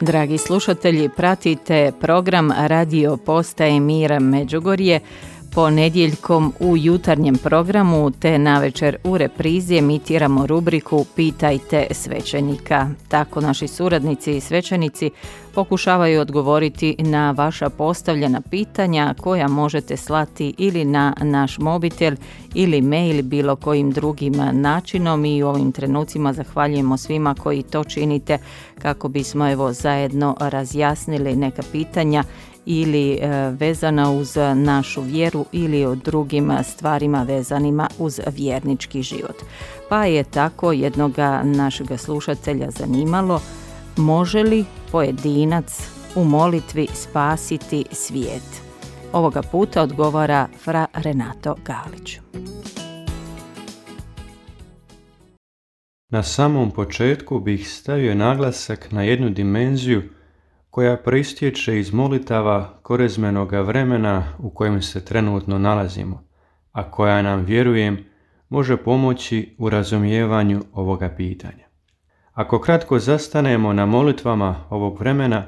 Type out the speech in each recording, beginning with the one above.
Dragi slušatelji, pratite program Radio Postaje Mira Međugorje ponedjeljkom u jutarnjem programu te navečer u reprizi emitiramo rubriku Pitajte svećenika. Tako naši suradnici i svećenici pokušavaju odgovoriti na vaša postavljena pitanja koja možete slati ili na naš mobitel ili mail bilo kojim drugim načinom i u ovim trenucima zahvaljujemo svima koji to činite kako bismo zajedno razjasnili neka pitanja ili vezana uz našu vjeru ili o drugim stvarima vezanima uz vjernički život. Pa je tako jednoga našega slušatelja zanimalo, može li pojedinac u molitvi spasiti svijet? Ovoga puta odgovara fra Renato Galić. Na samom početku bih stavio naglasak na jednu dimenziju koja proistječe iz molitava korezmenoga vremena u kojem se trenutno nalazimo, a koja nam, vjerujem, može pomoći u razumijevanju ovoga pitanja. Ako kratko zastanemo na molitvama ovog vremena,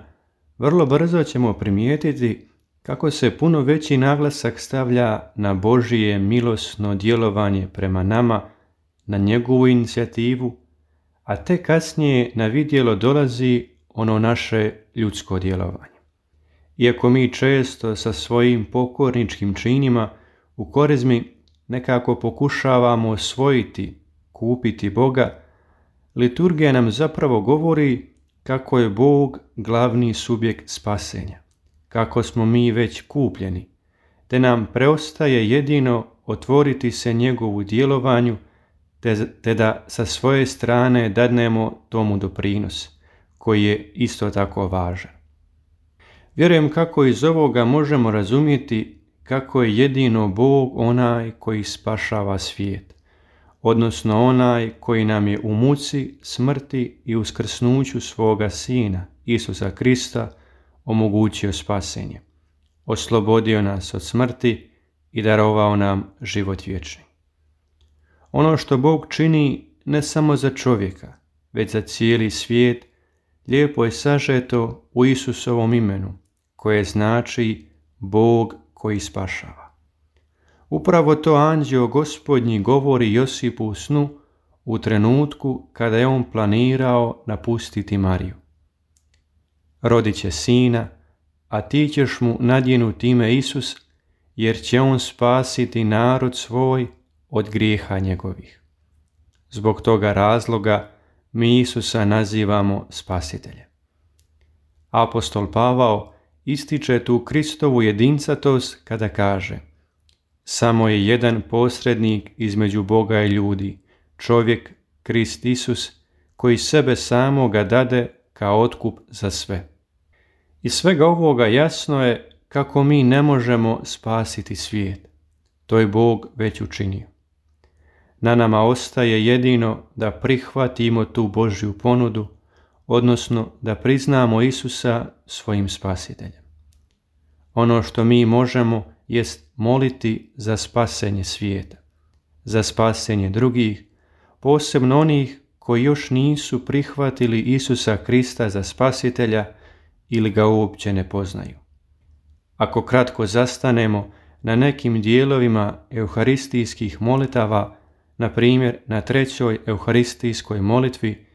vrlo brzo ćemo primijetiti kako se puno veći naglasak stavlja na Božije milosno djelovanje prema nama, na njegovu inicijativu, a tek kasnije na vidjelo dolazi ono naše ljudsko djelovanje. Iako mi često sa svojim pokorničkim činima u korezmi nekako pokušavamo osvojiti, kupiti Boga, liturgija nam zapravo govori kako je Bog glavni subjekt spasenja, kako smo mi već kupljeni, te nam preostaje jedino otvoriti se njegovu djelovanju, te da sa svoje strane dadnemo tomu doprinos, koji je isto tako važan. Vjerujem kako iz ovoga možemo razumjeti kako je jedino Bog onaj koji spašava svijet, odnosno onaj koji nam je u muci, smrti i uskrsnuću svoga Sina, Isusa Krista, omogućio spasenje, oslobodio nas od smrti i darovao nam život vječni. Ono što Bog čini ne samo za čovjeka, već za cijeli svijet, lijepo je sažeto u Isusovom imenu, koje znači Bog koji spašava. Upravo to anđeo Gospodnji govori Josipu u snu u trenutku kada je on planirao napustiti Mariju. Rodit će sina, a ti ćeš mu nadjenuti ime Isus, jer će on spasiti narod svoj od grijeha njegovih. Zbog toga razloga mi Isusa nazivamo spasiteljem. Apostol Pavao ističe tu Kristovu jedincatost kada kaže: samo je jedan posrednik između Boga i ljudi, čovjek Krist Isus, koji sebe samoga dade kao otkup za sve. Iz svega ovoga jasno je kako mi ne možemo spasiti svijet. To je Bog već učinio. Na nama ostaje jedino da prihvatimo tu Božju ponudu, odnosno da priznamo Isusa svojim spasiteljem. Ono što mi možemo jest moliti za spasenje svijeta, za spasenje drugih, posebno onih koji još nisu prihvatili Isusa Krista za spasitelja ili ga uopće ne poznaju. Ako kratko zastanemo na nekim dijelovima euharistijskih molitava, na primjer na 3. euharistijskoj molitvi,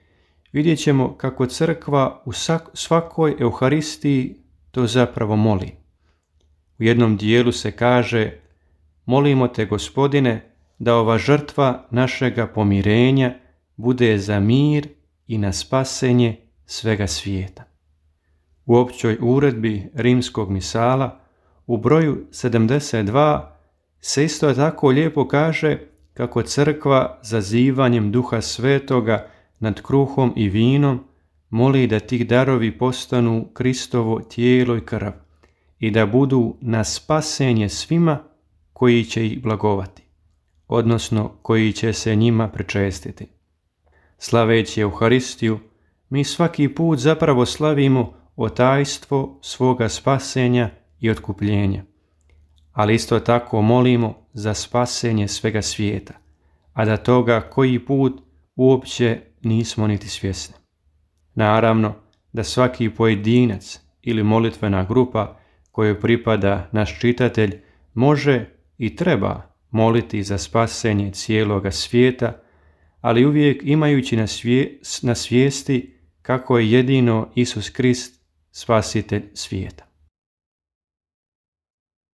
vidjet ćemo kako crkva u svakoj euharistiji to zapravo moli. U jednom dijelu se kaže: molimo te, Gospodine, da ova žrtva našega pomirenja bude za mir i na spasenje svega svijeta. U općoj uredbi rimskog misala u broju 72 se isto tako lijepo kaže kako crkva zazivanjem Duha Svetoga nad kruhom i vinom moli da ti darovi postanu Kristovo tijelo i krv i da budu na spasenje svima koji će ih blagovati, odnosno koji će se njima pričestiti. Slaveći Euharistiju, mi svaki put zapravo slavimo otajstvo svoga spasenja i otkupljenja, ali isto tako molimo za spasenje svega svijeta, a da toga koji put uopće nismo niti svjesni. Naravno, da svaki pojedinac ili molitvena grupa kojoj pripada naš čitatelj može i treba moliti za spasenje cijeloga svijeta, ali uvijek imajući na svijesti kako je jedino Isus Krist spasitelj svijeta.